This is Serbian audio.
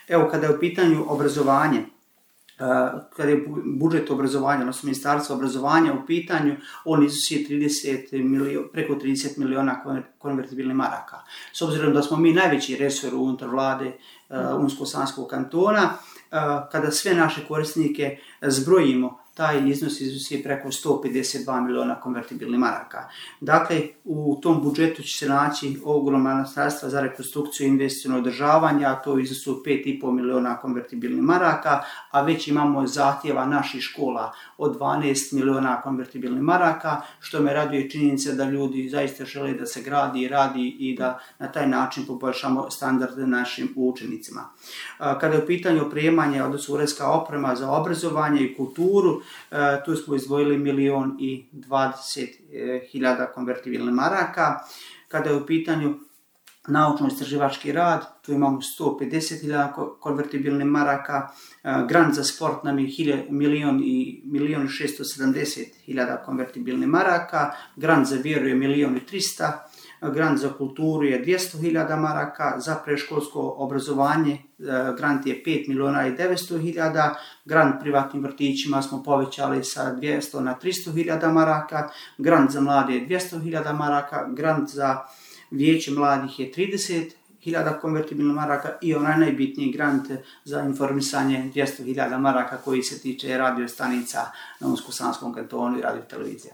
Evo, kada je u pitanju obrazovanje, kada je budžet obrazovanja, odnosno ministarstvo obrazovanja u pitanju, on iznosi preko 30 miliona konvertibilnih maraka. S obzirom da smo mi najveći resor unutar vlade Unsko-Sanskog kantona, kada sve naše korisnike zbrojimo, taj iznos iznosi preko 152 miliona konvertibilnih maraka. Dakle, u tom budžetu će se naći ogromna sredstva za rekonstrukciju i investiciono održavanje, a to u iznosu 5,5 miliona konvertibilnih maraka, a već imamo zahtjeva naših škola od 12 miliona konvertibilnih maraka, što me raduje činjenica da ljudi zaista žele da se gradi i radi i da na taj način poboljšamo standarde našim učenicima. Kada je u pitanju opremanje, odnosno uredska oprema za obrazovanje i kulturu, tu smo izdvojili 1,20 konvertibilnih maraka. Kada je u pitanju naučno-istraživački rad, tu imamo 150.000 konvertibilnih maraka, grant za sport nam je 1.670.000 konvertibilnih maraka, grant za vjeru je 1.300.000, grant za kulturu je 200.000 maraka, za predškolsko obrazovanje grant je 5.900.000, grant privatnim vrtićima smo povećali sa 200 na 300.000 maraka, grant za mlade je 200.000 maraka, grant za vijeće mladih je 30.000 konvertibilnih maraka i onaj najbitniji grant za informisanje 200.000 maraka koji se tiče radio stanica na Unsko-Sanskom kantonu i radio televizija.